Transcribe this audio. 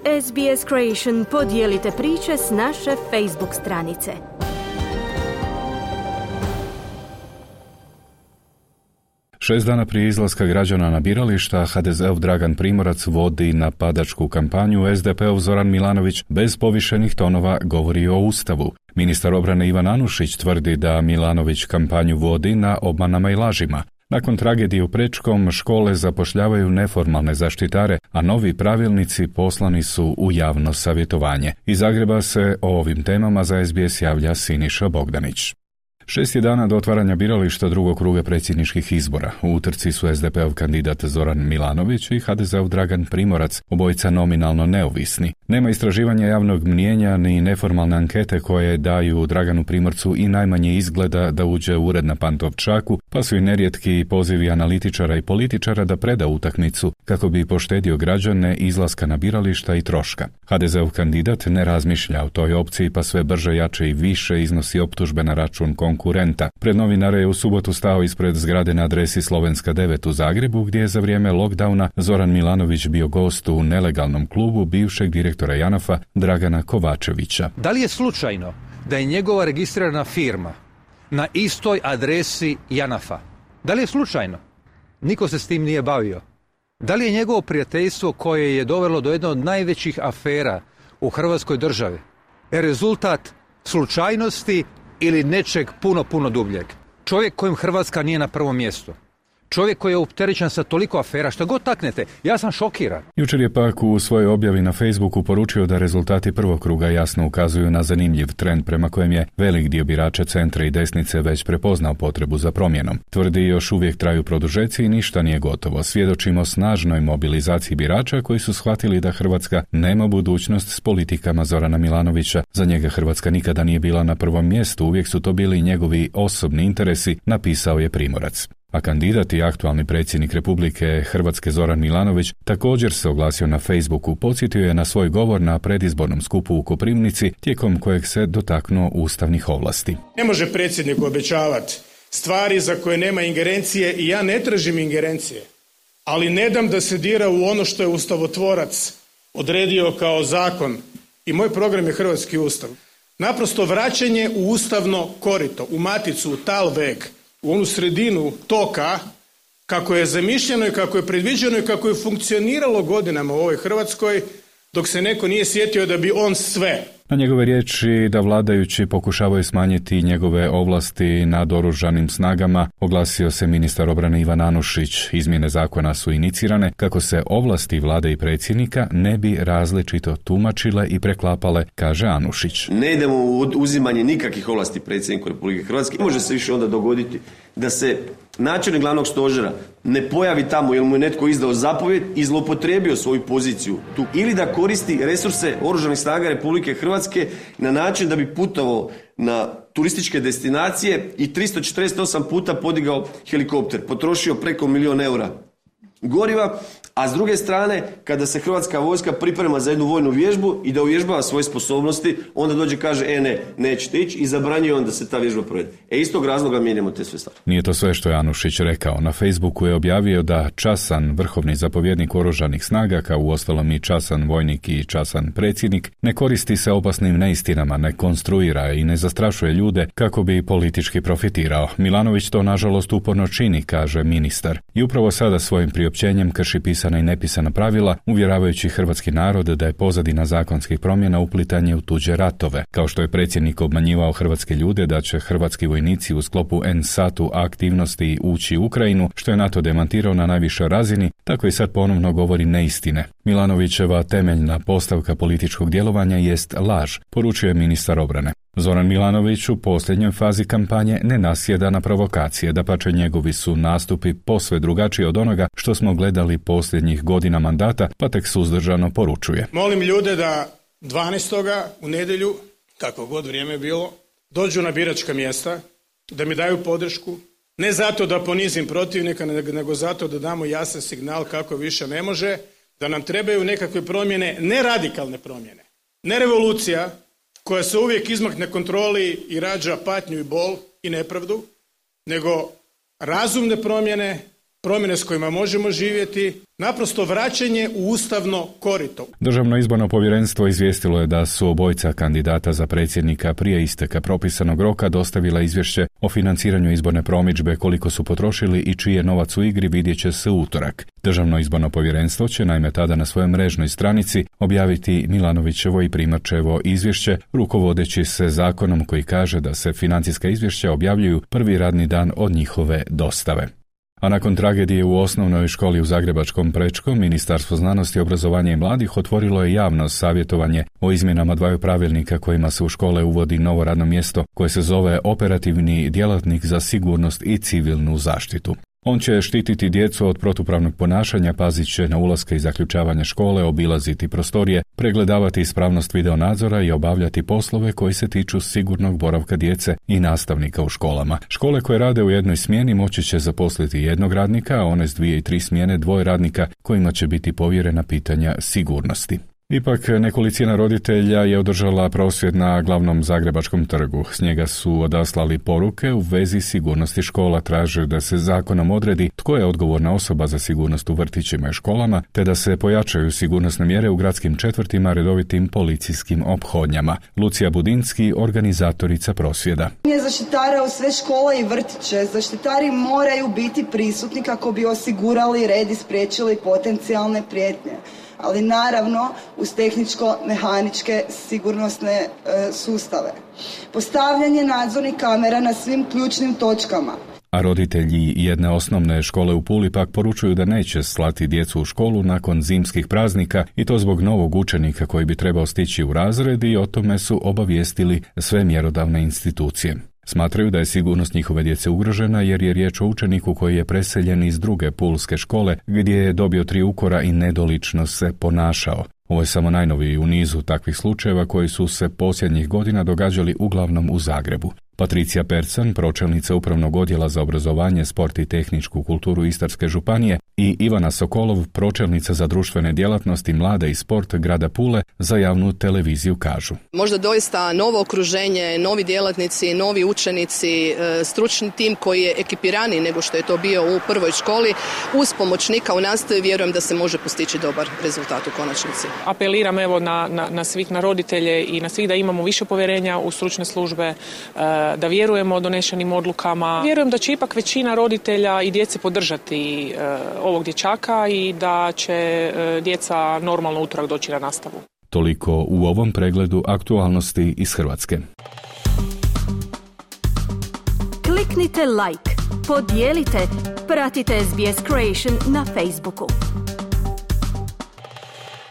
SBS Creation podijelite priče s naše Facebook stranice. Šest dana prije izlaska građana na birališta, HDZ-ov Dragan Primorac vodi napadačku kampanju, SDP-ov Zoran Milanović bez povišenih tonova govori o Ustavu. Ministar obrane Ivan Anušić tvrdi da Milanović kampanju vodi na obmanama i lažima. Nakon tragedije u Prečkom, škole zapošljavaju neformalne zaštitare, a novi pravilnici poslani su u javno savjetovanje. Iz Zagreba se o ovim temama za SBS javlja Siniša Bogdanić. 6 je dana do otvaranja birališta drugog kruga predsjedničkih izbora. U utrci su SDP-ov kandidat Zoran Milanović i HDZ-ov Dragan Primorac, obojica nominalno neovisni. Nema istraživanja javnog mnijenja ni neformalne ankete koje daju Draganu Primorcu i najmanje izgleda da uđe u ured na Pantovčaku, pa su i nerijetki pozivi analitičara i političara da preda utakmicu kako bi poštedio građane izlaska na birališta i troška. HDZ-ov kandidat ne razmišlja o toj opciji, pa sve brže, jače i više iznosi optužbe na račun konkurenta. Pred novinare je u subotu stao ispred zgrade na adresi Slovenska 9 u Zagrebu, gdje je za vrijeme lockdowna Zoran Milanović bio gost u nelegalnom klubu bivšeg direktora JANAF-a Dragana Kovačevića. Da li je slučajno da je njegova registrirana firma na istoj adresi JANAF-a? Da li je slučajno? Niko se s tim nije bavio. Da li je njegovo prijateljstvo koje je dovelo do jedne od najvećih afera u Hrvatskoj državi rezultat slučajnosti ili nečeg puno dubljeg? Čovjek kojem Hrvatska nije na prvom mjestu. Čovjek koji je opterećen sa toliko afera, što god taknete, ja sam šokiran. Jučer je pak u svojoj objavi na Facebooku poručio da rezultati prvog kruga jasno ukazuju na zanimljiv trend prema kojem je velik dio birača centra i desnice već prepoznao potrebu za promjenom. Tvrdi još uvijek traju produžeci i ništa nije gotovo. Svjedočimo snažnoj mobilizaciji birača koji su shvatili da Hrvatska nema budućnost s politikama Zorana Milanovića. Za njega Hrvatska nikada nije bila na prvom mjestu, uvijek su to bili njegovi osobni interesi, napisao je Primorac. A kandidat i aktualni predsjednik Republike Hrvatske Zoran Milanović također se oglasio na Facebooku, podsjetio je na svoj govor na predizbornom skupu u Koprivnici, tijekom kojeg se dotaknuo ustavnih ovlasti. Ne može predsjednik obećavati stvari za koje nema ingerencije i ja ne tražim ingerencije, ali ne dam da se dira u ono što je ustavotvorac odredio kao zakon i moj program je Hrvatski ustav. Naprosto vraćanje u ustavno korito, u maticu, u talveg, u onu sredinu toka kako je zamišljeno i kako je predviđeno i kako je funkcioniralo godinama u ovoj Hrvatskoj dok se neko nije sjetio da bi on sve. Na njegove riječi da vladajući pokušavaju smanjiti njegove ovlasti nad oružanim snagama, oglasio se ministar obrane Ivan Anušić. Izmjene zakona su inicirane kako se ovlasti vlade i predsjednika ne bi različito tumačile i preklapale, kaže Anušić. Ne idemo u uzimanje nikakvih ovlasti predsjedniku Republike Hrvatske. Može se više onda dogoditi da se načelnik glavnog stožera ne pojavi tamo jer mu je netko izdao zapovjed i zloupotrijebio svoju poziciju tu, ili da koristi resurse oružanih snaga Republike Hrvatske na način da bi putovao na turističke destinacije i 348 puta podigao helikopter, potrošio preko 1 milijun eura goriva, a s druge strane, kada se Hrvatska vojska priprema za jednu vojnu vježbu i da uvježbava svoje sposobnosti, onda dođe i kaže, nećete ići i zabranjuje onda se ta vježba provede. Iz tog razloga mijenjamo te sve stvari. Nije to sve što je Anušić rekao. Na Facebooku je objavio da časan vrhovni zapovjednik oružanih snaga, kao uostalom i časan vojnik i časan predsjednik, ne koristi se opasnim neistinama, ne konstruira i ne zastrašuje ljude kako bi politički profitirao. Milanović to nažalost uporno čini, kaže ministar. I upravo sada svojim priopćenjem krši pisana i nepisana pravila, uvjeravajući hrvatski narod da je pozadina zakonskih promjena uplitanje u tuđe ratove. Kao što je predsjednik obmanjivao hrvatske ljude da će hrvatski vojnici u sklopu NSAT-u aktivnosti ući u Ukrajinu, što je NATO demantirao na najvišoj razini, tako i sad ponovno govori neistine. Milanovićeva temeljna postavka političkog djelovanja jest laž, poručuje ministar obrane. Zoran Milanović u posljednjoj fazi kampanje ne nasjeda na provokacije, dapače njegovi su nastupi posve drugačiji od onoga što smo gledali posljednjih godina mandata, pa tek suzdržano poručuje. Molim ljude da 12. u nedjelju, kako god vrijeme bilo, dođu na biračka mjesta, da mi daju podršku, ne zato da ponizim protivnika, nego zato da damo jasan signal kako više ne može, da nam trebaju nekakve promjene, ne radikalne promjene, ne revolucija, koja se uvijek izmakne kontroli i rađa patnju i bol i nepravdu, nego razumne promjene promjene s kojima možemo živjeti, naprosto vraćanje u ustavno korito. Državno izborno povjerenstvo izvijestilo je da su obojica kandidata za predsjednika prije isteka propisanog roka dostavila izvješće o financiranju izborne promidžbe, koliko su potrošili i čiji je novac u igri vidjet će se u utorak. Državno izborno povjerenstvo će naime tada na svojoj mrežnoj stranici objaviti Milanovićevo i Primorčevo izvješće, rukovodeći se zakonom koji kaže da se financijska izvješća objavljuju prvi radni dan od njihove dostave. A nakon tragedije u osnovnoj školi u Zagrebačkom Prečkom, Ministarstvo znanosti, obrazovanja i mladih otvorilo je javno savjetovanje o izmjenama dvaju pravilnika kojima se u škole uvodi novo radno mjesto koje se zove operativni djelatnik za sigurnost i civilnu zaštitu. On će štititi djecu od protupravnog ponašanja, pazit će na ulaske i zaključavanje škole, obilaziti prostorije, pregledavati ispravnost videonadzora i obavljati poslove koji se tiču sigurnog boravka djece i nastavnika u školama. Škole koje rade u jednoj smjeni moći će zaposliti jednog radnika, a one s 2 i 3 smjene 2 radnika kojima će biti povjerena pitanja sigurnosti. Ipak nekolicina roditelja je održala prosvjed na glavnom Zagrebačkom trgu. S njega su odaslali poruke u vezi sigurnosti škola, traže da se zakonom odredi tko je odgovorna osoba za sigurnost u vrtićima i školama, te da se pojačaju sigurnosne mjere u gradskim četvrtima redovitim policijskim ophodnjama. Lucija Budinski, organizatorica prosvjeda. Zaštitara u sve škole i vrtiće. Zaštitari moraju biti prisutni kako bi osigurali red i spriječili potencijalne prijetnje. Ali naravno uz tehničko-mehaničke sigurnosne sustave. Postavljanje nadzornih kamera na svim ključnim točkama. A roditelji jedne osnovne škole u Puli pak poručuju da neće slati djecu u školu nakon zimskih praznika i to zbog novog učenika koji bi trebao stići u razred i o tome su obavijestili sve mjerodavne institucije. Smatraju da je sigurnost njihove djece ugrožena jer je riječ o učeniku koji je preseljen iz druge pulske škole gdje je dobio 3 ukora i nedolično se ponašao. Ovo je samo najnoviji u nizu takvih slučajeva koji su se posljednjih godina događali uglavnom u Zagrebu. Patricija Percan, pročelnica Upravnog odjela za obrazovanje, sport i tehničku kulturu Istarske županije, i Ivana Sokolov, pročelnica za društvene djelatnosti, mlade i sport grada Pule, za javnu televiziju kažu. Možda doista novo okruženje, novi djelatnici, novi učenici, stručni tim koji je ekipiraniji nego što je to bio u prvoj školi, uz pomoćnika u nastavi vjerujem da se može postići dobar rezultat u konačnici. Apeliram evo na svih, na roditelje i na svih da imamo više povjerenja u stručne službe, da vjerujemo donešenim odlukama. Vjerujem da će ipak većina roditelja i djece podržati ovog dječaka i da će djeca normalno utorak doći na nastavu. Toliko u ovom pregledu aktualnosti iz Hrvatske. Kliknite like, podijelite, pratite SBS Creation na Facebooku.